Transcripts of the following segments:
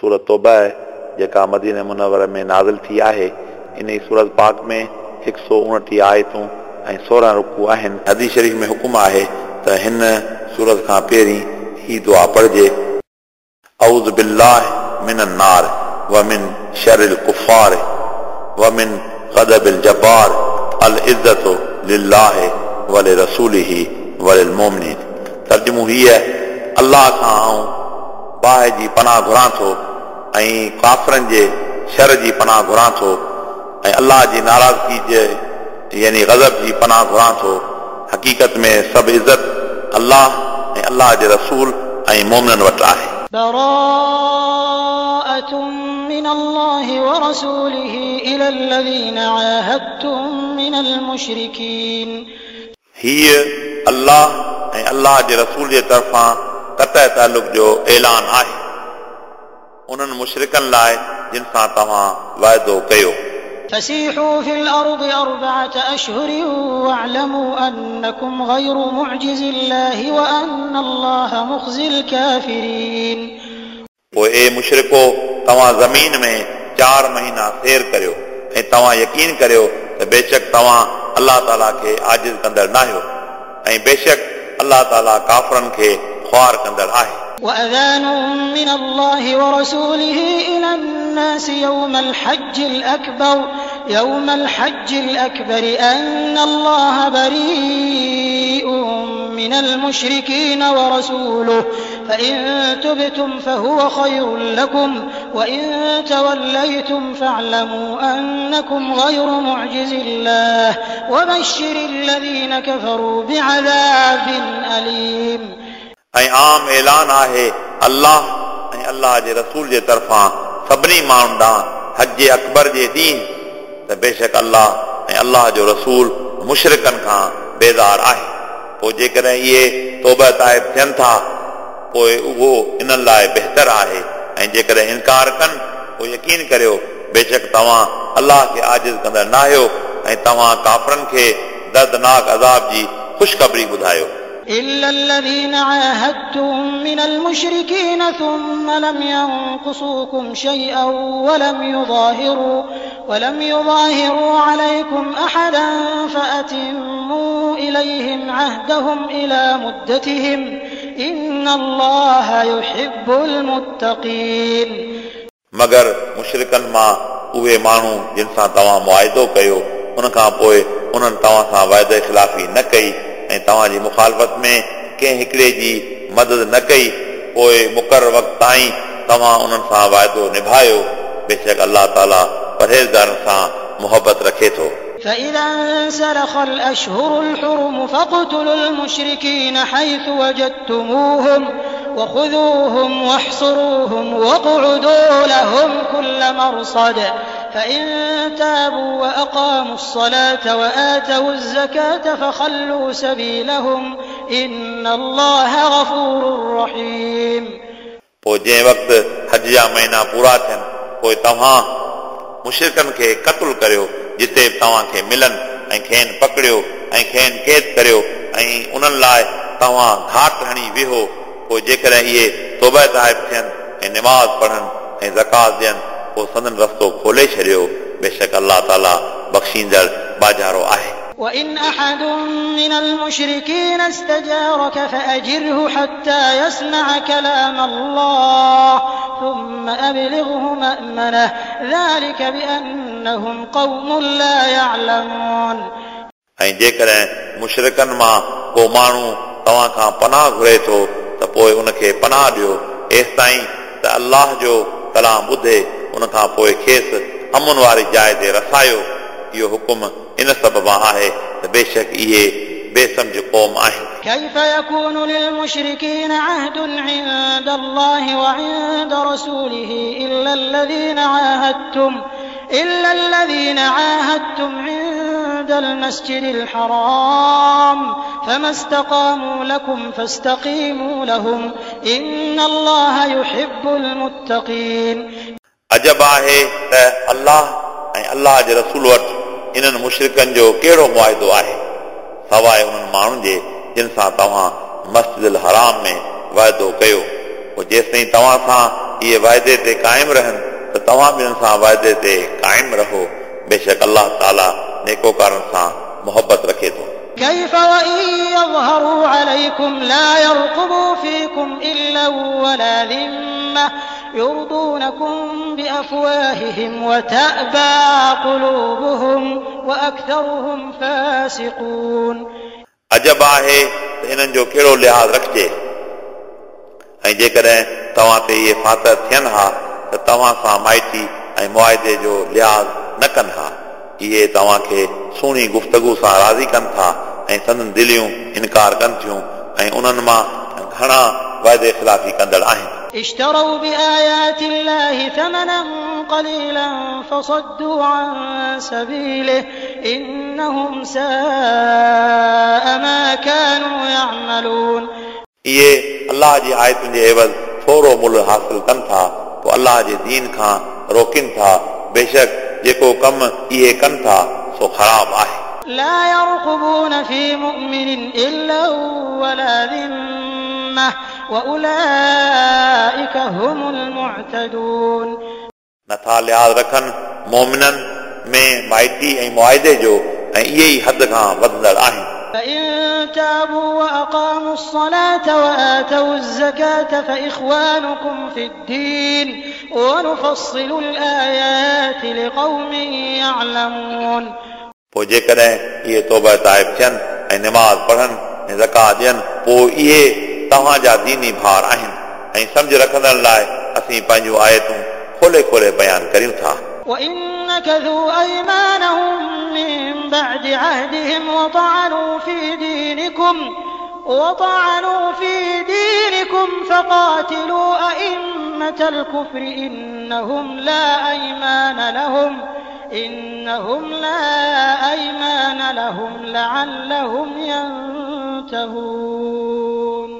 सूरत तौबा जेका मदीने मुनवर में नाज़िल थी आहे। इन सूरत पाक में 129 आयतूं ऐं 16 रुकू आहिनि। हदीस शरीफ़ में हुकुम आहे त हिन सूरत खां पहिरीं ही दुआ पढ़िजे। अऊज़ बिल्लाहि मिनन नार व मिन शर्रिल कुफ़ार व मिन ग़दबिल जब्बार अल इज़्ज़तु लिल्लाहि व लिरसूलिहि व लिलमुमिनीन। तर्जुमो हीअ अल्लाह खां आउं बाहि जी पनाह घुरां थो ऐं काफ़िरनि जे शर जी पनाह घुरां थो ऐं अल्लाह जी नाराज़गी जे यानी गज़ब जी पनाह घुरां थो। हक़ीक़त में सभु इज़त अल्लाह ऐं अल्लाह जे रसूल ऐं मोमिननि वटि आहे। براءة من الله ورسوله إلى الذين عاهدتم من المشركين। हीअ अल्लाह ऐं अल्लाह जे रसूल जे तरफ़ां क़तई तालुक़ जो ऐलान आहे उन्हनि मुशरिकनि लाइ जिन सां तव्हां वाइदो कयो। فسيحوا في الأرض 4 أشهر واعلموا أنكم غير معجز الله وأن الله مخزي الكافرين। पोइ ए मुशरिको, तव्हां ज़मीन में 4 महीना सैर करियो ऐं तव्हां यकीन करियो त बेशक तव्हां अल्लाह ताला खे आजिज़ कंदड़ न आहियो ऐं बेशक अल्लाह ताला काफ़िरनि खे ख़्वार कंदड़ आहे। وأذان من الله ورسوله إلى الناس يوم الحج الأكبر أن الله بريء من المشركين ورسوله فإن تبتم فهو خير لكم وإن توليتم فاعلموا أنكم غير معجز الله وبشر الذين كفروا بعذاب أليم। ऐं आम ऐलान आहे अल्लाह ऐं अल्लाह जे रसूल जे तरफ़ां सभिनी माण्हुनि ॾांहुं हज अकबर जे ॾींहुं त बेशक अल्लाह ऐं अल्लाह जो रसूल मुशरिकनि खां बेज़ार आहे। पोइ जेकॾहिं इहे तौबा ताइब थियनि था पोइ उहो इन्हनि लाइ बहितर आहे ऐं जेकॾहिं इनकार कनि पोइ यकीन करियो बेशक तव्हां अल्लाह खे आजिज़ कंदड़ न आहियो ऐं तव्हां काफ़िरनि खे दर्दनाक अज़ाब जी ख़ुशख़बरी ॿुधायो। إلا الذين عاهدتم من المشركين ثم لم ينقصوكم شيئا ولم يظاهروا عليكم أحدا فأتموا إليهم عهدهم إلى مدتهم إن الله يحب المتقين। मगर मुशरिकनि मां उहे माण्हू जिन सां तव्हां मुआहिदो कयो उन खां पोइ उन्हनि तव्हां सां वाइदे ख़िलाफ़ी न कई ऐं तव्हांजी मुखालफ़त में कंहिं हिकिड़े जी मदद न कई पोइ मुक़ररु वक़्त ताईं तव्हां उन्हनि सां वाइदो निभायो। बेशक अल्लाह ताला परहेज़गारनि सां मुहबत रखे थो। فإذا انسلخ الأشهر الحرم فاقتلوا المشركين حيث وجدتموهم وخذوهم واحصروهم واقعدوا لهم كل مرصد فإن تابوا وأقاموا الصلاة وآتوا الزكاة فخلوا سبيلهم إن الله غفور رحيم। पोइ जंहिं वक़्तु हज जा महीना पूरा थियनि पोइ तव्हां मुशरिकनि खे क़तलु करियो जिते तव्हांखे मिलनि ऐं खेनि पकड़ियो ऐं खेनि क़ैद करियो ऐं उन्हनि लाइ तव्हां घाट हणी वेहो। पोइ जेकॾहिं इहे तौबा ताइब थियनि ऐं निमाज़ पढ़नि ऐं ज़कात ॾियनि पोइ संदन रस्तो खोले छॾियो। बेशक अल्लाह ताला बख़्शींदड़ बाजारो आहे। وإن أحد من المشركين استجارك فأجره حتى يسمع كلام الله ثم أبلغه مأمنه ذلك بأنهم قوم لا يعلمون। ऐं जेकॾहिं मुशरिकनि मां को माण्हू तव्हां खां पनाह घुरे थो त पोइ उनखे पनाह ॾियो एसिताईं त अल्लाह जो कलाम ॿुधे उन खां पोइ खेसि अमन वारी जाइ ते रसायो। इहो हुकुम इन सबब आहे त बेशक इहे बेसमझ क़ौम आहिनि। كيف يكون للمشركين عهد عند الله وعند رسوله إلا الذين عاهدتم عند المسجد الحرام فما استقاموا لكم فاستقيموا لهم إن الله يحب المتقين। अजब आहे त अल्लाह ऐं अल्लाह जे रसूल वटि इन्हनि मुशरिकनि जो कहिड़ो मुआहिदो आहे सवाइ उन्हनि माण्हुनि जे जिन सां तव्हां मस्जिद हराम में वाइदो कयो। पोइ जेसिताईं तव्हां सां इहे वाइदे ते क़ाइमु रहनि त तव्हां बि इन्हनि सां वाइदे ते क़ाइमु रहो। बेशक अलाह ताला नेकोकारनि सां मोहबत रखे थो। كيف وإن يظهروا عليكم لا يرقبوا فيكم إلا ولا ذمة يرضونكم بأفواههم وتأبى قلوبهم وأكثرهم فاسقون। अजब आहे त इन्हनि जो कहिड़ो लिहाज़ रखिजे ऐं जेकॾहिं तव्हां ते इहे फ़ातिह थियनि हा त तव्हां सां माइटी ऐं मुआइदे जो लिहाज़ न कनि हा। इहे तव्हांखे सुहिणी गुफ़्तगू सां राज़ी कनि था ऐं संदन दिलियूं इनकार कनि थियूं ऐं उन्हनि मां घणा वाइदे ख़िलाफ़ी कंदड़ आहिनि। اشتروا بآيات الله ثمنا قليلا فصدوا عن سبيله إنهم ساء ما كانوا يعملون। इहे अलाह जी आयतुनि जे एवज़ थोरो मुल्ह हासिल कनि था पोइ अलाह जे दीन खां रोकनि था। बेशक जेको कमु इहे कनि था सो ख़राब आहे। لا يرقبون في مؤمن إلا ولا ذمة وأولئك هم المعتدون। नथा लिहाज़ रखनि मोमिननि में माइटी ऐं मुआइदे जो ऐं इहे ई हद खां वधंदड़ आहिनि। فإن تابوا وأقاموا الصلاة وآتوا الزكاة فإخوانكم في الدين ونفصل الآيات لقوم يعلمون। पोइ जेकॾहिं इहे तौबा ताइब थियनि ऐं नमाज़ पढ़नि ऐं ज़कात ॾियनि पोइ इहे तव्हांजा दीनी भार आहिनि ऐं सम्झ रखंदड़ लाइ असीं पंहिंजूं आयतूं खोले खोले बयानु करियूं था। وإن نكثوا أيمانهم من بعد عهدهم وطعنوا في دينكم فقاتلوا أئمة الكفر إنهم لا أيمان لهم لعلهم ينتهون।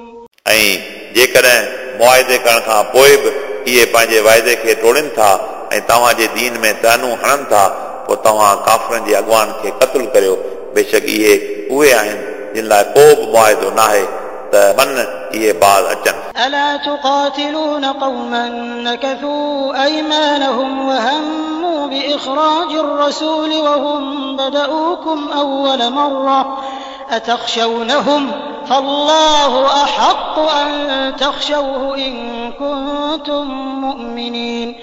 ऐं जेकॾहिं मुआइदे करण खां पोइ बि इहे पंहिंजे वाइदे खे टोड़नि था ऐं तव्हांजे दीन में तानू हणनि था पोइ तव्हां काफ़रनि जे अॻवान खे क़तलु करियो। बेशक इहे उहे आहिनि जिन लाइ को बि मुआइदो न आहे त मन इहे बाज़ अचनि। ألا تقاتلون قوما نكثوا أيمانهم وهموا بإخراج الرسول وهم بدؤوكم أول مرة أتخشونهم فالله أحق أن تخشوه إن كنتم مؤمنين।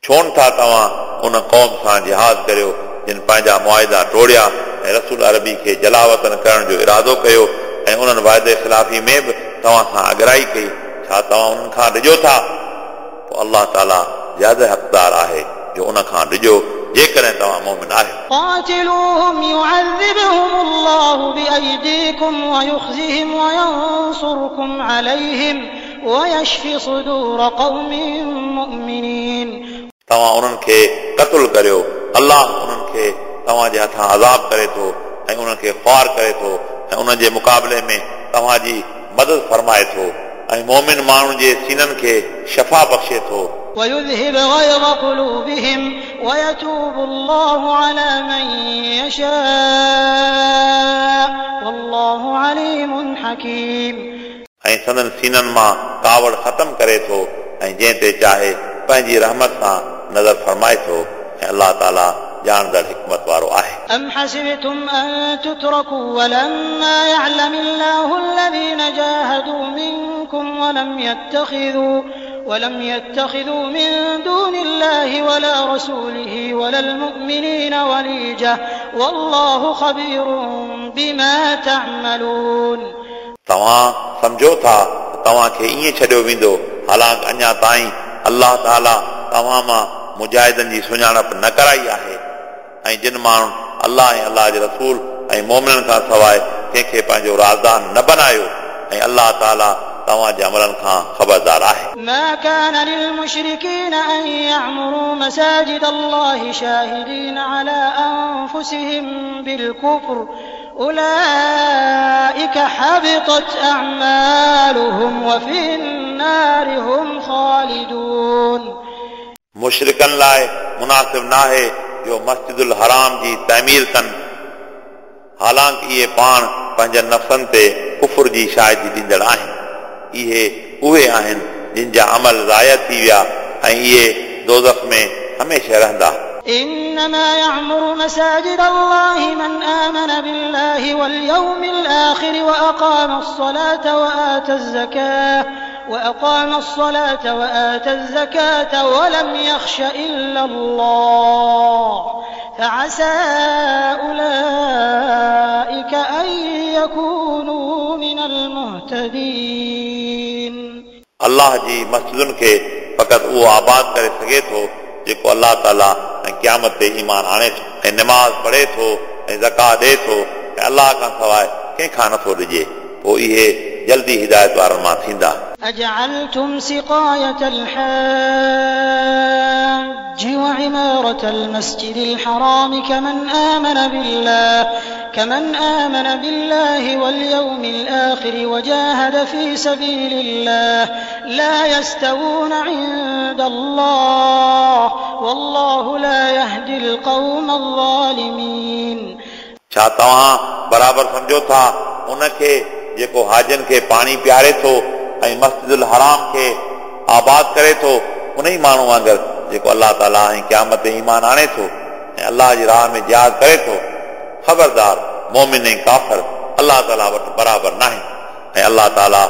छो न था तव्हां उन क़ौम सां जिहाद करियो जिन पंहिंजा मुआइदा टोड़िया ऐं रसूल अरबी खे जलावतन करण जो इरादो कयो ऐं उन्हनि वाइदे ख़िलाफ़ी में बि तव्हां सां अगराई कई। छा तव्हां उन्हनि खां डिॼो था? पोइ अलाह ताला ज़्यादा हक़दार आहे जो उन खां डिॼो जेकॾहिं तव्हां मोमिन आहियो। قاتلوهم يعذبهم الله بأيديكم ويخزهم وينصركم عليهم ويشف صدور قوم مؤمنين। तव्हां उन्हनि खे क़तलु करियो, अलाह उन्हनि खे तव्हांजे हथां अज़ाब करे थो ऐं उन्हनि खे ख़्वार करे थो ऐं उन्हनि जे मुक़ाबले में तव्हांजी मदद फरमाए थो ऐं मोमिन माण्हुनि जे सीननि खे शफ़ा बख़्शे थो। ويذهب غيظ قلوبهم ويتوب الله على من يشاء والله عليم حكيم। ऐं संदन सीननि मां कावड़ ख़तमु करे थो ऐं जंहिं ते चाहे पंहिंजी रहमत सां नज़र फरमाए थो ऐं अलाह ताला ॼाणंदड़ हिकमत वारो आहे। أم حسبتم أن تتركوا ولما يعلم الله الذين جاهدوا منكم ولم يتخذوا من دون الله ولا رسوله ولا المؤمنين وليجة والله خبير بما تعملون। तव्हां सम्झो था त तव्हांखे ईअं छॾियो वेंदो, हालांकि अञा ताईं अलाह ताला तव्हां मां मुजाहिदनि जी सुञाणप न कराई आहे ऐं जिन माण्हुनि अलाह ऐं अलाह जे रसूल ऐं मोमिननि खां सवाइ कंहिंखे पंहिंजो राज़दान न बनायो ऐं अलाह ताला तव्हांजे अमलनि खां ख़बरदार आहे। ما كان للمشركين أن يعمروا مساجد الله شاهدين على أنفسهم بالكفر أولئك حبطت أعمالهم وفي النار هم خالدون। मुशरिकनि लाइ मुनासिब नाहे जो मस्जिदुल हराम जी तइमीर कनि, हालांकि इहे पाण पंहिंजनि नफ़्सनि ते कुफुर जी शाहिदी ॾींदड़ आहिनि। इहे उहे आहिनि जिन जा अमल ज़ाया थी विया ऐं इहे दोज़ख में हमेशह रहंदा। إنما يعمر مساجد الله من آمن بالله واليوم الآخر وأقام الصلاة وآتى الزكاة ولم يخش إلا الله فعسى أولئك أن يكونوا من المهتدين। अल्लाह जी मस्जिदुनि खे फ़क़ति उहो आबाद करे सघे थो जेको अल्लाह ताला ऐं क़यामत ते ईमान आणे थो ऐं नमाज़ पढ़े थो ऐं ज़कात ॾिए थो ऐं अल्लाह खां सवाइ कंहिंखां नथो ॾिजे, पोइ इहे जल्दी हिदायत वारनि मां थींदा। أجعلتم سقاية الحاج وعمارة المسجد الحرام كمن آمن بالله واليوم الآخر وجاهد في سبيل الله لا يستوون عند الله والله لا يهدي القوم الظالمين। छा तव्हां बराबरि सम्झो था उनखे जेको हाजनि खे पाणी पीआरे थो ऐं मस्जिदुल हराम खे आबाद करे थो उन ई माण्हू वांगुरु जेको अल्लाह ताला ऐं क़यामत ते ईमान आणे थो ऐं अल्लाह जी राह में जिहाद करे थो। ख़बरदार मोमिन ऐं काफ़िर अल्लाह ताला वटि बराबरि नाहे ऐं अल्लाह ताला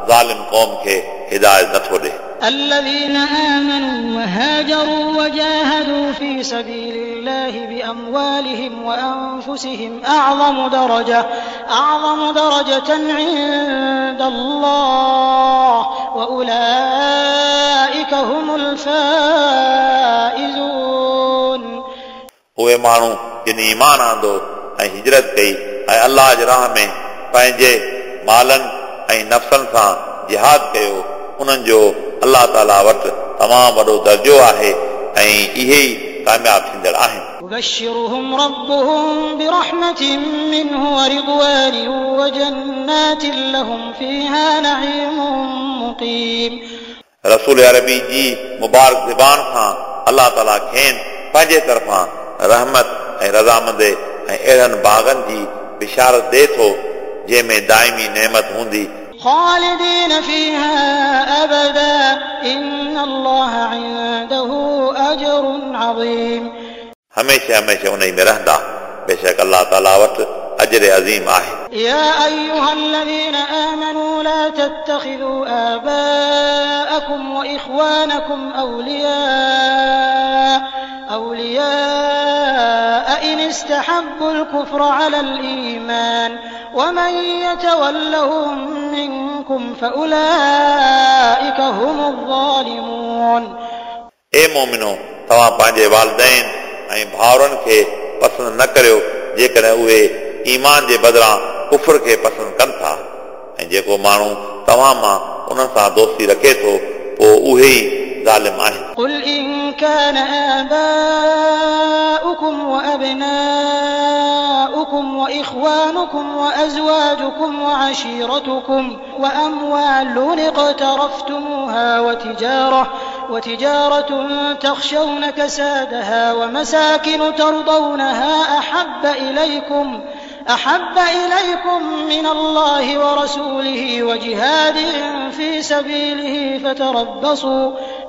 ज़ालिम क़ौम खे हिदायत नथो ॾिए। الذين آمنوا وهاجروا وجاهدوا في سبيل الله بأموالهم وأنفسهم أعظم درجة عند الله وأولئك هم الفائزون। उहे माण्हू जिन ईमान आंदो ऐं हिजरत कई ऐं अल्लाह जे राह में पंहिंजे मालनि ऐं नफ़्सनि सां जिहाद कयो, उन्हनि जो अल्लाह ताला वटि तमामु वॾो दर्जो आहे ऐं इहे ई कामयाब थींदड़ आहिनि। يبشرهم ربهم برحمة منه ورضوان وجنات لهم فيها نعيم مقيم। रसूल अरबी जी मुबारक ज़बान खां अल्लाह ताला खेनि पंहिंजे तरफ़ां रहमत ऐं रज़ामंदी ऐं अहिड़नि बाग़नि जी बिशारत ॾिए थो जंहिंमें दाइमी नेमत हूंदी। خالدين فيها أبدا إن الله عنده أجر عظيم। हमेशह हमेशह उन में रहंदा, बेशक अल्लाह ताला वटि अजर अज़ीम आहे। يا أيها الذين آمنوا لا تتخذوا آباءكم وإخوانكم أولياء إن استحبوا الكفر على الإيمان ومن يتولهم منكم فأولئك هم الظالمون। ए मोमिनो, तव्हां पंहिंजे वालिदैन ऐं भाउरनि खे पसंदि न करियो जेकॾहिं उहे ईमान जे बदिरां कुफर खे पसंदि कनि था, ऐं जेको माण्हू तव्हां मां उन्हनि सां दोस्ती रखे थो पोइ उहे ई ज़ालिम आहिनि। قل إن كان آباؤكم وأبناؤكم وإخوانكم وأزواجكم وعشيرتكم وأموال اقترفتموها وتجارة تخشون كسادها ومساكن ترضونها أحب إليكم من الله ورسوله وجهاد في سبيله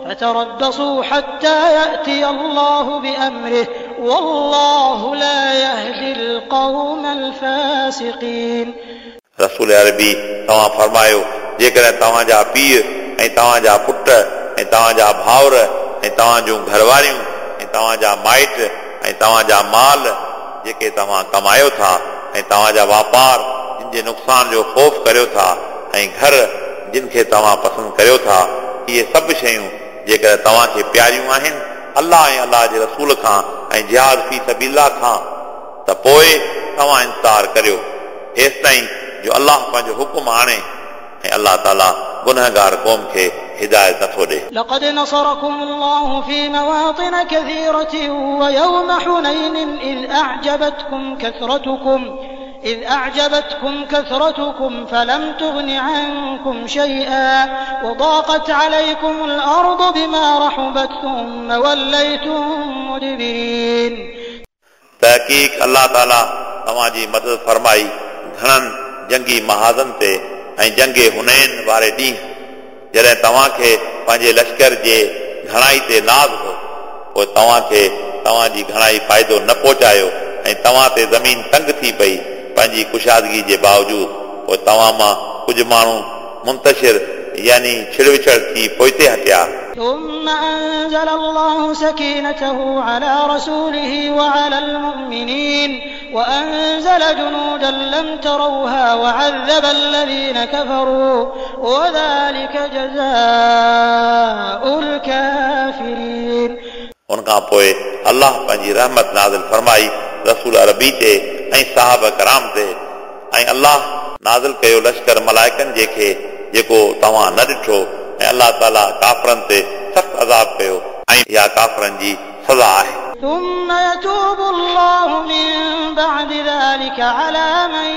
فتربصوا حتى يأتي الله بأمره والله لا يهدي القوم الفاسقين. रसूल अरबी तव्हां फरमायो, जेकॾहिं तव्हांजा पीउ ऐं तव्हांजा पुट ऐं तव्हांजा भाउर ऐं तव्हांजूं घरवारियूं ऐं तव्हांजा माइट ऐं तव्हांजा माल जेके तव्हां कमायो था ऐं तव्हांजा वापार जिन जे नुक़सान जो ख़ौफ़ करियो था ऐं घर जिन खे तव्हां पसंदि करियो था, इहे सभु शयूं जेकॾहिं तव्हांखे प्यारियूं आहिनि अल्लाह ऐं अल्लाह जे रसूल खां ऐं जिहाद फी सबीला खां, त पोइ तव्हां इंतज़ारु करियो हेसि ताईं जो अल्लाह पंहिंजो हुकुम आणे ऐं अल्लाह ताला गुनहगार क़ौम खे हिदायत नथो ॾिए। لقد نصركم الله في مواطن كثيرة ويوم حنين إذ أعجبتكم كثرتكم فلم تغن عنكم شيئا وضاقت عليكم الأرض بما رحبت ثم وليتم مدبرين. तहक़ीक़ अल्लाह ताला तव्हांजी मदद फरमाई घणनि जंगी महाज़नि ते ऐं जंगे हुनैन वारे ॾींहुं, जॾहिं तव्हांखे पंहिंजे लश्कर जे घणाई ते नाज़ हो, पोइ तव्हांखे तव्हांजी घणाई फ़ाइदो न पहुचायो ऐं तव्हां ते ज़मीन तंग थी पई पंहिंजी कुशादगी जे बावजूद। पोइ तव्हां मां कुझु माण्हू मुंतशिर यानी छिड़विछड़ थी पोइते हटिया। ثم أنزل الله سكينته على رسوله وعلى المؤمنين وأنزل جنودا لم تروها وعذب الذين كفروا وذلك جزاء الكافرين। उन खां पोइ अल्लाह पंहिंजी रहमत नाज़िल फरमाई रसूल अरबी ते ऐं साहब कराम ते, ऐं अल्लाह नाज़िल कयो लश्कर मलाइकनि जेखे जेको तव्हां न ॾिठो, ऐं अल्लाह ताला काफ़रनि ते सख़्तु अज़ाब कयो, ऐं इहा काफ़रनि जी सज़ा आहे। ثم يتوب الله من بعد ذلك على من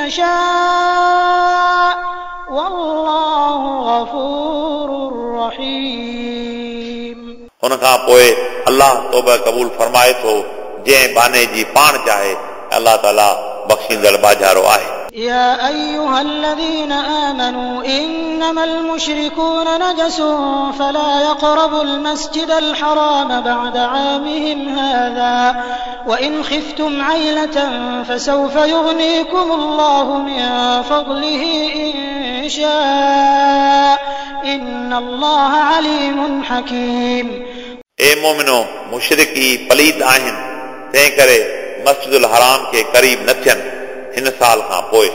يشاء والله غفور رحيم। उन खां पोइ अल्लाह तौबा क़बूल फरमाए थो जंहिं बाने जी पाण चाहे, अल्लाह ताला बख़्शींदड़ बाजारो आहे। يا أيها الذين آمنوا إنما المشركون نجس فلا يقربوا المسجد الحرام بعد عامهم هذا وإن خفتم عيلة فسوف يغنيكم الله من فضله إن شاء إن الله عليم حكيم। ए मोमिनो, मुशरिकी पलीत आहिनि, तंहिं करे मस्जिदुल हराम खे क़रीब न थियनि हिन साल खां पोइ,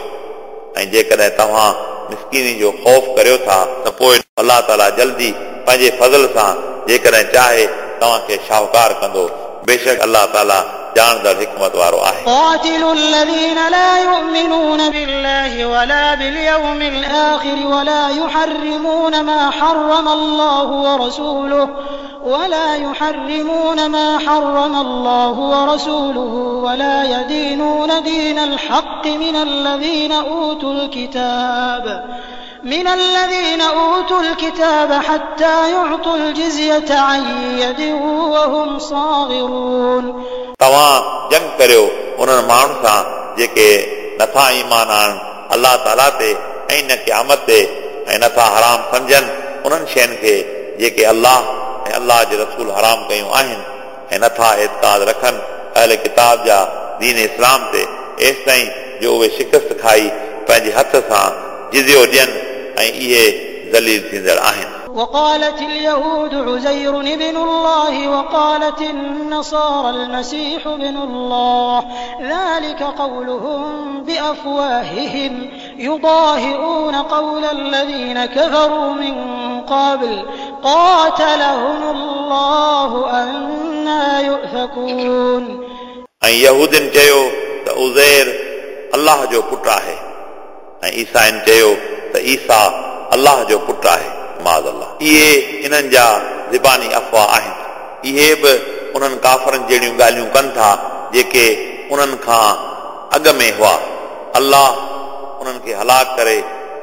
ऐं जेकॾहिं तव्हां मिसकीनी जो ख़ौफ़ करियो था त पोइ अल्लाह ताला जल्दी पंहिंजे फज़ल सां जेकॾहिं चाहे तव्हांखे शाहूकार कंदो। बेशक अल्लाह ताला ॼाणंदड़ हिकमत वारो आहे। قاتلوا الذين لا يؤمنون بالله ولا باليوم الآخر ولا يحرمون ما حرم الله ورسوله ولا يدينون دين الحق من الذين أوتوا الكتاب حتى يعطوا الجزية عن يد وهم صاغرون। तव्हां जंग करियो उन्हनि माण्हुनि सां जेके नथा ईमान आणनि अल्लाह ताला ते ऐं न क़यामत ते, ऐं नथा हराम सम्झनि उन्हनि शयुनि खे जेके अल्लाह ऐं अल्लाह जे रसूल हराम कयूं आहिनि, ऐं नथा एतिकाद रखनि अहल किताब जा दीन इस्लाम ते, एसि ताईं जो उहे शिकस्त खाई पंहिंजे हथ सां जिज़ियो ॾियनि ऐं इहे ज़लील थींदड़ आहिनि। وقالت اليهود عزير ابن الله وقالت النصارى المسيح ابن الله ذلك قولهم بأفواههم يضاهئون قول الذين كفروا من قبل قاتلهم الله أنى يؤفكون। ऐं यहूदियुनि चयो त उज़ैर अल्लाह जो पुट आहे, ऐं ईसाइनि चयो त ईसा अल्लाह जो पुट आहे। माज़ अल्लाह, इहे इन्हनि जा ज़बानी अफ़वाह आहिनि। इहे बि उन्हनि काफ़रनि जहिड़ियूं ॻाल्हियूं कनि था जेके उन्हनि खां अॻु में हुआ। अल्लाह उन्हनि खे हलाक करे,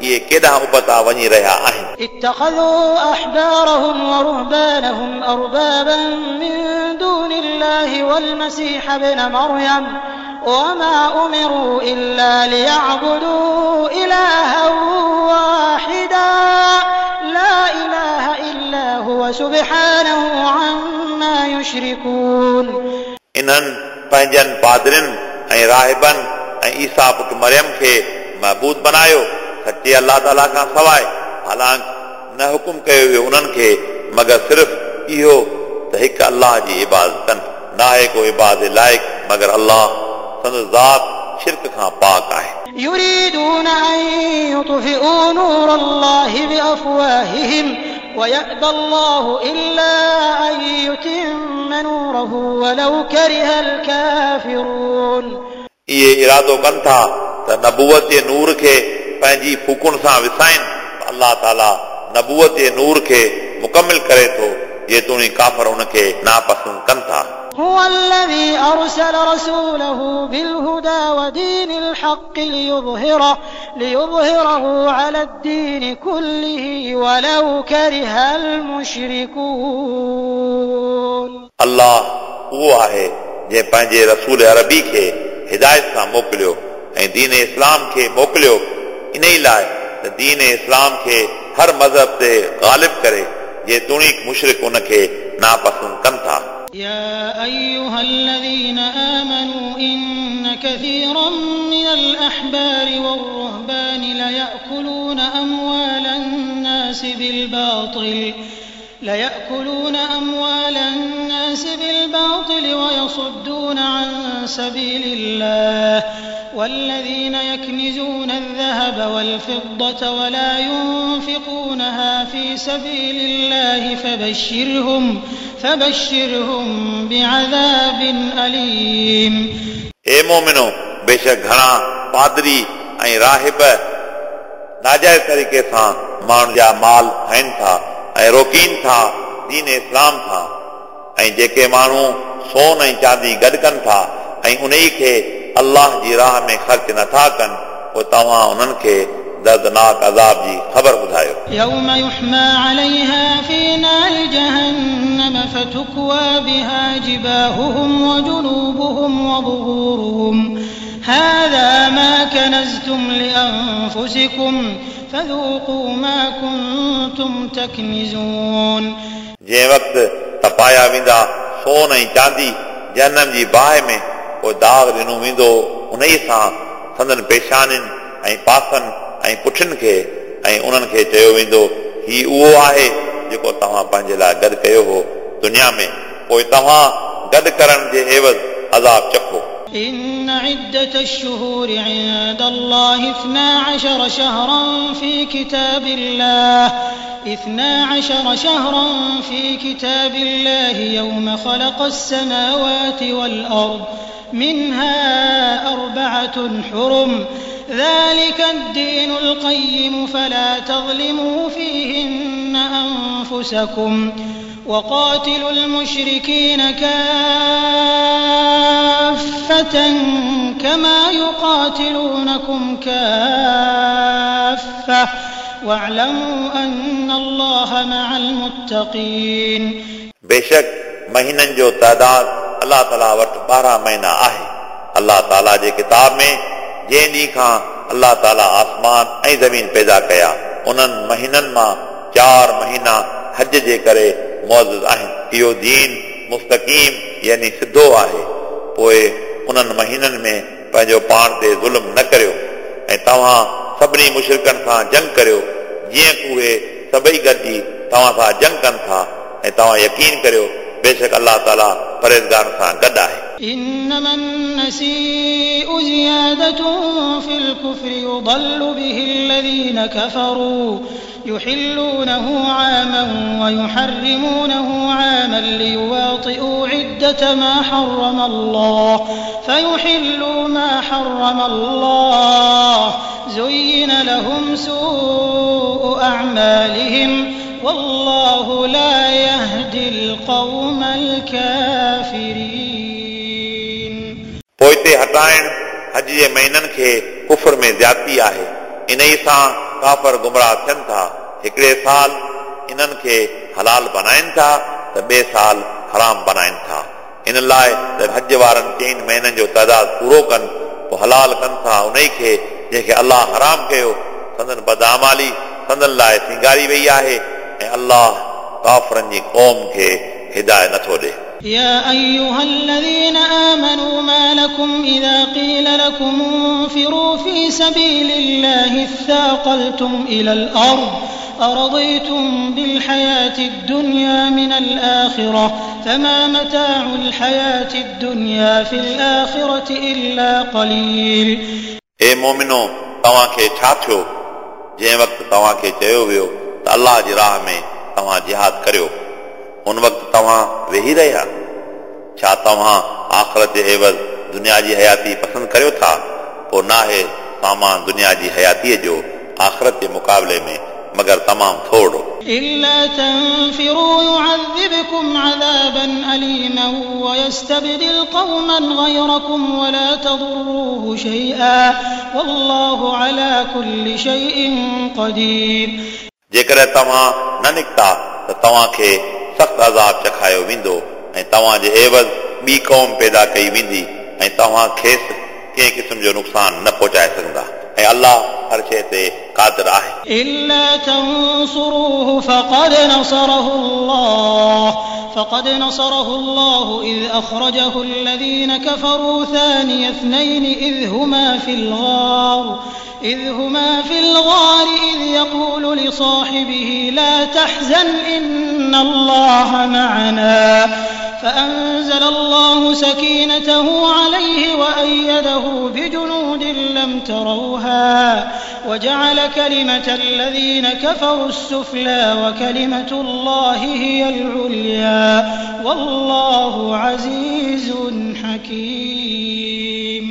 इहे केॾां उबता वञी रहिया आहिनि। اتخذوا أحبارهم ورهبانهم أربابا من دون الله والمسيح ابن مريم وما أمروا إلا ليعبدوا إلها واحدا لا إله إلا هو سبحانه عما يشركون। इन्हनि पंहिंजनि पादरियुनि ऐं राहिबनि ऐं ईसा पुट मरियम खे महबूद बनायो सचे अल्लाह ताला खां सवाइ, हालांकि न हुकुम कयो वियो उन्हनि खे मगर सिर्फ़ इहो त हिकु अल्लाह जी इबादत कनि, न आहे को इबादत लाइक़ मगर अल्लाह, संदसि ज़ात शिरक खां पाक आहे। يريدون أن يطفئوا نور الله بأفواههم ويأبى الله إلا أن يتم نوره ولو كره الكافرون। इहे इरादो कनि था त नबूवत जे नूर खे पंहिंजी फूकुनि सां विसाइनि, अल्लाह ताला नबूवत जे नूर खे मुकमिल करे थो जेतोणीक काफ़र उनखे नापसंदि कनि था। هو الذي أرسل رسوله بالهدى ودين الحق ليظهره على الدين كله ولو كره المشركون। अल्लाह उहो आहे जंहिं पंहिंजे रसूल अरबी खे हिदायत सां मोकिलियो ऐं दीन इस्लाम खे मोकिलियो इन ई लाइ त दीन इस्लाम खे हर मज़हब ते ग़ालिब करे जेतोणीकि मुशरिक उनखे नापसंदि कनि था। يا أيها الذين آمنوا إن كثيرا من الأحبار والرهبان ليأكلون أموال الناس بالباطل ويصدون عن سبيل الله والذين يكنزون الذهب والفضة ولا ينفقونها في سبيل الله فبشرهم بعذاب أليم. हे मोमिनो, बेशक घणा पादरी ऐं राहिब नाजाइज़ तरीक़े सां माण्हुनि जा माल खाइनि था ऐं रोकीनि था दीन इस्लाम खां, ऐं जेके माण्हू सोन ऐं चांदी गॾु कनि था ऐं उन खे अल्लाह जी राह में ख़र्च नथा कनि, पोइ तव्हां उन्हनि खे दर्दनाक अज़ाब जी ख़बर ॿुधायो। يوم يحمى عليها في نار جهنم فتكوى بها جباههم وجنوبهم وظهورهم هذا ما كنزتم لأنفسكم فذوقوا ما كنتم تكنزون. जंहिं वक़्तु तपाया वेंदा सोन ऐं चांदी जहन्नम जी बाहि में, पोइ दाग़ ॾिनो वेंदो उन सां संदन पेशानियुनि ऐं पासनि ऐं पुठियुनि खे, ऐं उन्हनि खे चयो वेंदो हीउ उहो आहे जेको तव्हां पंहिंजे लाइ गॾु कयो हो दुनिया में, पोइ तव्हां गॾु करण जे एवज़ अज़ाब चखो। إن عدة الشهور عند الله 12 شهرا في كتاب الله يوم خلق السماوات والأرض منها 4 حرم ذلك الدين القيم فلا تظلموا فيهن أنفسكم وقاتلوا المشركين كافة كما يقاتلونكم كافة واعلموا أن الله مع المتقين. बेशक महीननि जो तादाद अल्लाह ताला वटि 12 महीना आहे। अल्लाह ताला जे किताब में जंहिं ॾींहुं खां अल्लाह ताला आसमान ऐं ज़मीन पैदा कया, उन्हनि महीननि मां 4 महीना हज जे करे मुअज़्ज़ज़ आहिनि। इहो दीन मुस्तक़ीम यानी सिधो आहे। पोइ उन्हनि महीननि में पंहिंजो पाण ते ज़ुल्म न करियो ऐं तव्हां सभिनी मुशरिकनि सां जंग करियो जीअं उहे सभई गॾिजी तव्हां सां जंग कनि था, ऐं तव्हां यकीन करियो बेशक अल्लाह ताला परहेज़गारनि सां गॾु आहे। إنما النسيء زيادة في الكفر يضل به الذين كفروا يحلونه عاما ويحرمونه عاما ليواطئوا عدة ما حرم الله فيحلوا ما حرم الله زين لهم سوء أعمالهم والله لا يهدي القوم الكافرين. पोइते हटाइण हज जे महीननि खे कुफर में ज़्यादती आहे, इन सां काफ़र गुमराह थियनि था। हिकिड़े साल इन्हनि खे हलाल बनाइनि था त ॿिए साल हराम बनाइनि था। इन लाइ त हज वारनि 4 महीननि जो तादाद पूरो कनि, पोइ हलाल कनि था उन खे जंहिंखे अल्लाह हराम कयो। संदन बदामाली संदन लाइ सिंगारी वई आहे ऐं अल्लाह काफ़रनि जी क़ौम खे हिदायत नथो ॾिए। يا أيها الذين آمنوا ما لكم إذا قيل لكم انفروا في سبيل الله اثاقلتم إلى الأرض أرضيتم بالحياة الدنيا من الآخرة فما متاع الحياة الدنيا في الآخرة إلا قليل. ए मोमिनो, तव्हांखे छा थियो जंहिं वक़्तु तव्हांखे चयो वियो त अल्लाह जी राह में तव्हां जिहाद करियो, उन वक़्तु तव्हां वेही रहिया? छा तव्हां आख़िरत जे एवज़ दुनिया जी हयाती पसंदि करियो था? पोइ नाहे सामान दुनिया जी हयातीअ जो आख़िरत जे मुक़ाबले में मगर तमामु थोरो। إلا تنفروا يعذبكم عذابا أليما ويستبدل قوما غيركم ولا تضروه شيئا والله على كل شيء قدير. जेकॾहिं तव्हां न निकिता त तव्हांखे सख़्तु अज़ाब चखायो वेंदो ऐं तव्हांजे एवज़ ॿी क़ौम पैदा कई वेंदी ऐं तव्हां खेसि कंहिं क़िस्म जो नुक़सानु न पहुचाए सघंदा। ऐं अलाह हर शइ ते क़ादिर आहे। إلا تنصروه فقد نصره الله إذ أخرجه الذين كفروا ثاني اثنين إذ هما في الغار إذ يقول لصاحبه لا تحزن إن الله معنا فأنزل الله سكينته عليه وأيده بجنود لم تروها وجعل كلمة الذين كفروا السفلى وكلمة الله هي العليا والله عزيز حكيم।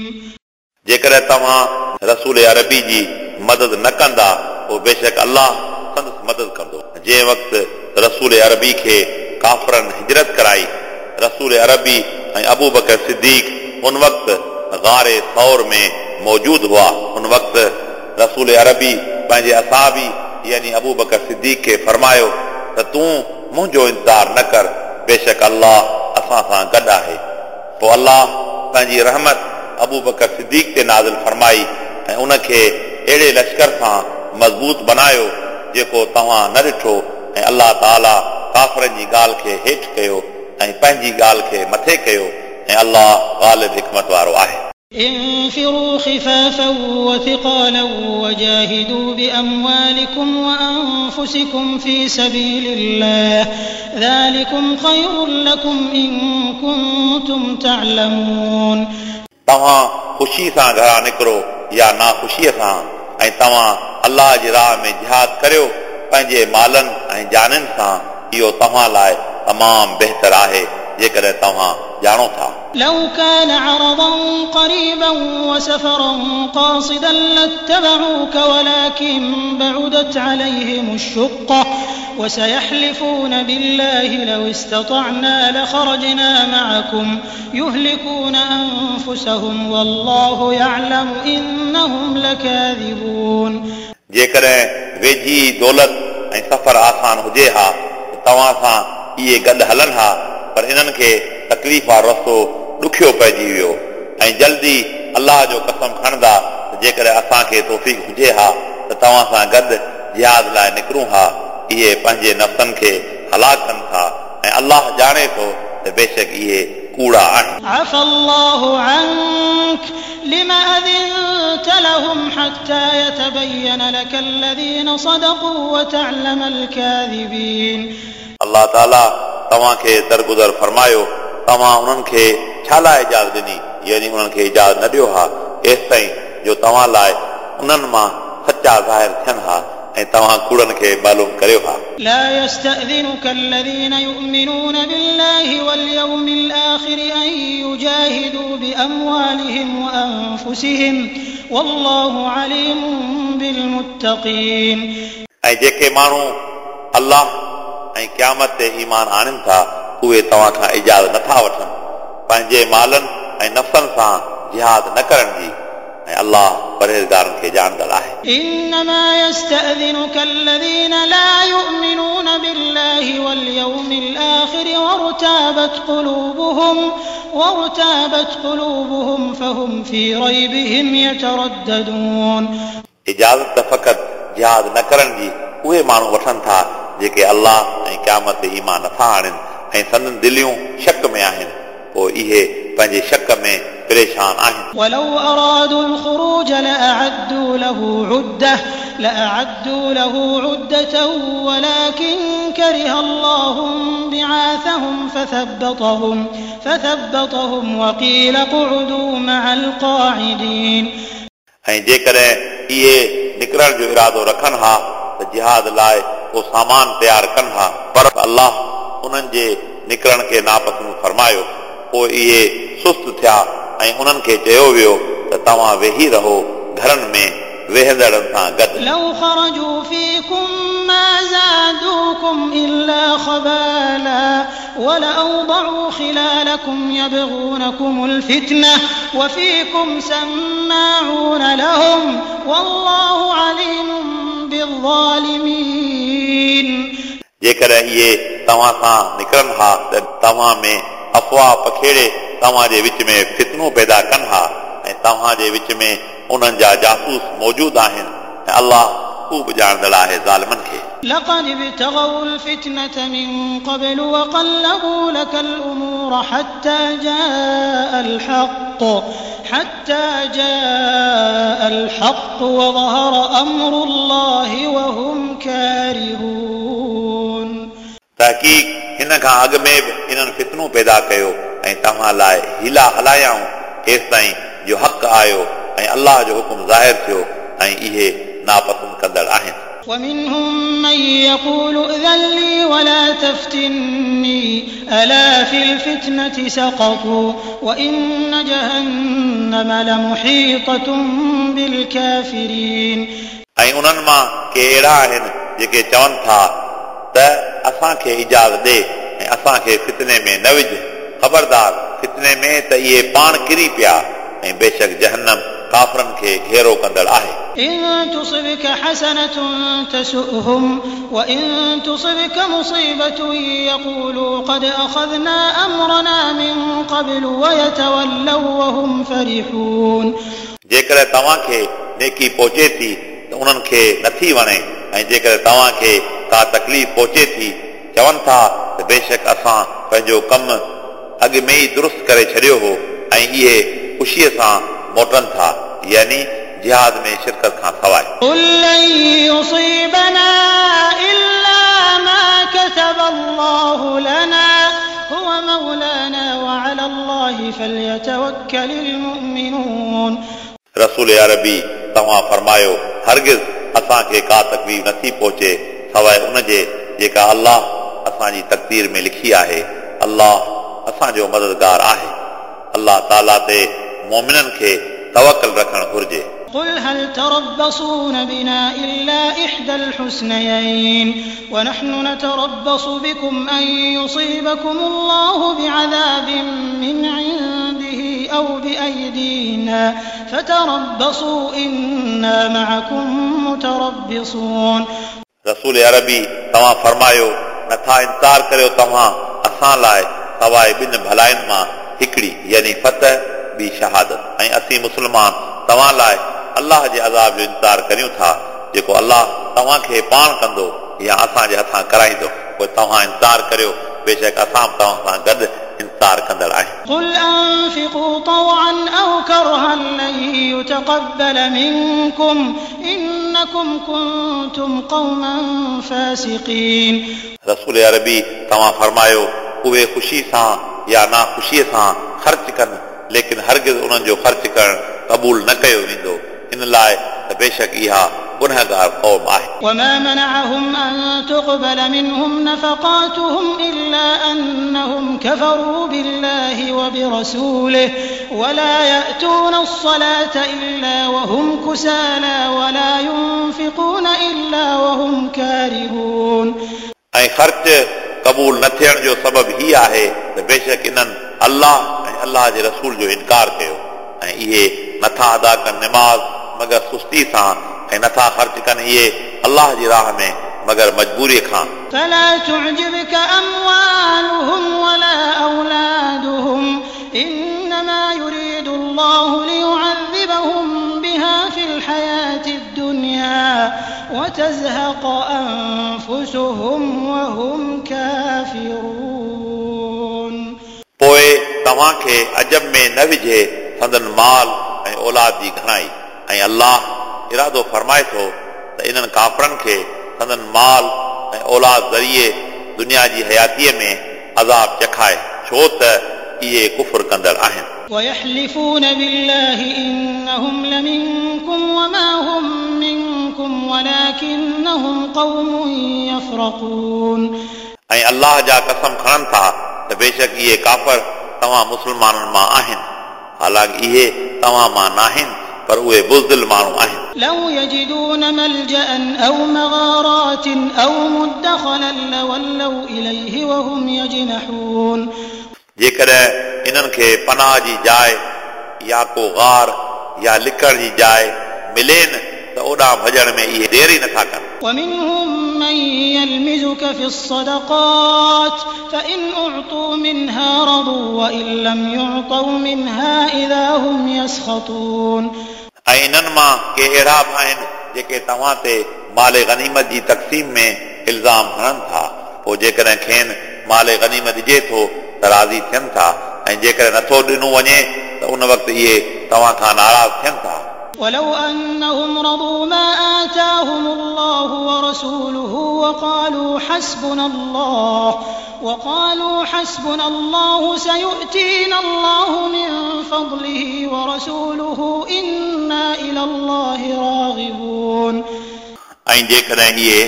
जेकॾहिं तव्हां रसूल अरबी जी मदद न कंदा पोइ बेशक अलाह संदसि मदद कंदो। जंहिं वक़्तु रसूल अरबी खे काफ़रनि हिजरत कराई, रसूल अरबी ऐं अबू बकर सिद्दीक उन वक़्तु गारे सौर में मौजूद हुआ। उन वक़्तु रसूल अरबी पंहिंजे असाबी यानी अबू बकर सिद्दीक खे फरमायो त तूं मुंहिंजो इंतज़ार न कर, बेशक अलाह असां सां गॾु आहे। पोइ अलाह पंहिंजी रहमत अबू बकर सिद्दीक ते नाज़िल फरमाई ऐं उनखे अहिड़े लश्कर सां मज़बूत बनायो जेको तव्हां न ॾिठो, ऐं अलाह ताला काफ़रनि जी ॻाल्हि खे हेठि कयो ऐं पंहिंजी ॻाल्हि खे मथे कयो, ऐं अलाह ग़ालिब हिकमत वारो आहे। انفروا خفافا وثقالا وجاهدوا بأموالكم وأنفسكم في سبيل الله ذلكم خير لكم إن كنتم تعلمون। तव्हां ख़ुशी सां घरां निकिरो या नाख़ुशीअ सां, ऐं तव्हां अलाह जी राह में जिहाद करियो पंहिंजे मालनि ऐं जाननि सां, इहो तव्हां लाइ तमामु बहितर आहे जेकॾहिं तव्हां ॼाणो था। لو كان عرضا قريبا وسفرا قاصدا لاتبعوك ولكن بعدت عليهم الشقة وسيحلفون بالله لو استطعنا لخرجنا معكم يهلكون أنفسهم والله يعلم إنهم لكاذبون। जेकॾहिं वेझी दौलत ऐं सफ़र आसान हुजे हा त तव्हां सां इहे गॾु हलनि हा, पर इन्हनि खे तकलीफ़ वारो रस्तो ॾुखियो पइजी वियो ऐं जल्दी अलाह जो कसम खणंदा त जेकॾहिं असांखे तौफ़ीक़ हुजे हा त तव्हां सां गॾु जिहाद लाइ निकिरूं हा। इहे पंहिंजे नफ़्सनि खे हलाक कनि था ऐं अलाह ॼाणे थो त बेशक इहे कूड़ा आहिनि। عفا الله عنك لم أذنت لهم حتى يتبين لك الذين صدقوا وتعلم الكاذبين। अलाह ताला तव्हांखे दरगुज़र फरमायो, तव्हां उन्हनि खे छा लाइ इजाज़त ॾिनी, यानी उन्हनि खे इजाज़त न ॾियो हा एसि ताईं जो तव्हां लाइ उन्हनि मां सचा ज़ाहिर थियनि हा ऐं तव्हां कूड़नि खे मालूम करियो हा। لا يستأذنك الذين يؤمنون بالله واليوم الآخر أن يجاهدوا بأموالهم وأنفسهم والله عليم بالمتقين। ऐं जेके माण्हू अलाह ऐं क़यामत ते ईमान आणनि था उहे तव्हां खां इजाज़त नथा वठनि पंहिंजे मालनि ऐं नफ़्सनि सां जिहाद न करण जी, ऐं अलाह परहेज़गारनि खे ॼाणंदड़ आहे। إنما يستأذنك الذين لا يؤمنون بالله واليوم الآخر وارتابت قلوبهم فهم في ريبهم يترددون। इजाज़त त फ़क़ति जिहाद न करण जी उहे माण्हू वठनि था जेके अलाह ऐं क़यामत ते ईमान नथा आणनि ऐं संदन दिलियूं शक में आहिनि, पोइ इहे पंहिंजे शक में परेशान आहिनि। ولو أرادوا الخروج لأعدوا له عدة ولكن كره الله بعاثهم فثبطهم وقيل اقعدوا مع القاعدين। ऐं जेकॾहिं इहे निकिरण जो इरादो रखनि हा त जिहाद लाइ को सामान तयारु कनि हा, पर अलाह उन्हनि जे निकिरण खे नापसंदि फरमायो, पोइ इहे सुस्त थिया ऐं उन्हनि खे चयो वियो त तव्हां वेही रहो घरनि में वेहंदड़नि सां गॾु। لو خرجوا فيكم ما زادوكم إلا خبالا ولأوضعوا خلالكم يبغونكم الفتنة وفيكم سماعون لهم والله عليم بالظالمين। जेकॾहिं इहे तव्हां सां निकिरनि हा त तव्हां में अफ़वाह पखेड़े तव्हांजे विच में फितनो पैदा कनि हा ऐं तव्हांजे विच में उन्हनि जा जासूस मौजूदु आहिनि ऐं अलाह ख़ूब ॼाणंदड़ आहे ज़ालिमनि खे। لقد ابتغوا الفتنة من قبل وقلبوا لك الأمور حتى جاء الحق وظهر أمر الله وهم كارهون। तहक़ीक़ हिन खां अॻु में बि इन्हनि फितनो पैदा कयो ऐं तव्हां लाइ हीला हलायाऊं एसि ताईं जो हक़ आयो ऐं अलाह जो हुकुम ज़ाहिर थियो ऐं इहे नापसंदि कंदड़ आहिनि। ومنهم من يقول ائذن لي ولا تفتني ألا في الفتنة سقطوا وإن جهنم لمحيطة بالكافرين। ऐं उन्हनि मां के अहिड़ा आहिनि जेके चवनि था त असांखे इजाज़त ॾे ऐं असांखे फितने में न विझ। ख़बरदार फितने में त इहे पाण किरी पिया ऐं बेशक जहन्नम काफ़रनि खे घेरो कंदड़ आहे। إن تصبك حسنة تسؤهم وإن تصبك مصيبة يقولوا قد أخذنا أمرنا من قبل ويتولوا وهم فرحون। जेकॾहिं तव्हांखे नेकी पहुचे थी त उन्हनि खे नथी वणे ऐं जेकॾहिं तव्हांखे का तकलीफ़ पहुचे थी चवनि था त बेशक असां पंहिंजो कमु अॻु में ई दुरुस्त करे छॾियो हो ऐं इहे ख़ुशीअ सां मोटनि था, यानी जिहाद में शिरकत खां सवाइ। قل لن يصيبنا إلا ما كتب الله لنا هو مولانا وعلى الله فليتوكل المؤمنون। रसूल अरबी तव्हां फरमायो हरगिज़ असांखे का तकलीफ़ नथी पहुचे सवाइ उन जे जेका अलाह असांजी तक़दीर में लिखी आहे। अलाह असांजो मददगार आहे। अलाह ताला ते मोमिननि खे तवकल रखणु घुर्जे। قل هل تربصون بنا إلا إحدى الحسنيين ونحن نتربص بكم أن يصيبكم الله بعذاب من عنده أو بأيدينا فتربصوا إنا معكم متربصون। रसूल अरबी तव्हां फरमायो नथा इंतज़ार करियो तव्हां असां लाइ सवाइ ॿिनि भलाइनि मां हिकिड़ी यानी फतह ॿी शहादत ऐं असीं मुस्लमान तव्हां लाइ अलाह जे अज़ाब जो इंतज़ार करियूं था जेको अलाह तव्हांखे पाण कंदो या असांजे हथां कराईंदो। पोइ तव्हां इंतज़ार करियो, बेशक असां बि तव्हां सां गॾु इंतज़ार कंदड़ आहियूं। قل أنفقوا طوعا أو كرها لن يتقبل منكم إنكم كنتم قوما فاسقين। रसूल अरबी तव्हां फरमायो उहे ख़ुशी सां या नाख़ुशीअ सां ख़र्च कनि, लेकिन हरगिज़ उन्हनि जो ख़र्च करणु क़बूल न कयो वेंदो, इन लाइ त बेशक इहा गुनहगार क़ौम आहे। وما منعهم أن تقبل منهم نفقاتهم إلا أنهم كفروا بالله وبرسوله ولا يأتون الصلاة إلا وهم كسالى ولا ينفقون إلا وهم كارهون। ऐं ख़र्च क़बूल न थियण जो सबबु हीउ आहे त बेशक इन्हनि अलाह ऐं अलाह जे रसूल जो इनकार कयो ऐं इहे नथा अदा कनि नमाज़ मगर सुस्ती सां ऐं नथा ख़र्च कनि इहे अलाह जी राह में मगर मजबूरीअ खां। فلا تعجبك أموالهم ولا أولادهم إنما يريد الله ليعذبهم بها في الحياة الدنيا وتزهق أنفسهم وهم كافرون। पोइ तव्हांखे अजब में न विझे संदन माल ऐं औलाद जी घणाई ऐं अलाह इरादो फरमाए थो त इन्हनि काफ़रनि खे संदन माल ऐं औलाद ज़रिए दुनिया जी हयातीअ में अज़ाब चखाए, छो त इहे कुफुर कंदड़ आहिनि। ويحلفون بالله إنهم لمنكم وما هم منكم ولكنهم قوم يفرقون। ऐं अलाह जा कसम खणनि था त बेशक इहे काफ़र तव्हां मुस्लमाननि मां आहिनि, हालांकि इहे तव्हां मां नाहिनि पर उहे बुज़दिल माण्हू आहिनि। لو يجدون ملجأ أو مغارات أو مدخلا لولوا إليه وهم يجمحون। जेकॾहिं इन्हनि खे पनाह जी जाइ या को गार या लिकण जी जाइ मिले न त ओॾां भॼण में इहे देरि ई नथा कनि। ومنهم من يلمزك في الصدقات فإن أعطوا منها رضوا وإن لم يعطوا منها إذا هم يسخطون. ऐं इन्हनि मां के अहिड़ा बि आहिनि जेके तव्हां ते माल गनीमत जी तक़सीम में इल्ज़ाम हणनि था। पोइ जेकॾहिं खेनि माल गनीमत ॾिजे थो त राज़ी थियनि था ऐं जेकॾहिं नथो ॾिनो वञे त उन वक़्तु इहे तव्हां खां नाराज़ थियनि था। ولو أنهم رضوا ما آتاهم الله ورسوله وقالوا حسبنا الله سيؤتينا الله من فضله ورسوله إنا إلى الله راغبون। ऐं जेकॾहिं इहे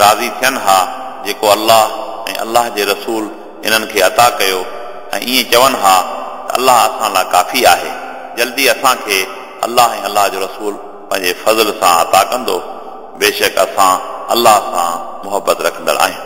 राज़ी थियनि हा जेको अल्लाह ऐं अल्लाह जे रसूल इन्हनि खे अता कयो ऐं ईअं चवनि हा त अल्लाह असां लाइ काफ़ी आहे, जल्दी असांखे अल्लाह ऐं अल्लाह जो रसूल पंहिंजे फज़ल सां अता कंदो, बेशक असां अल्लाह सां मुहबत रखंदड़ आहियूं।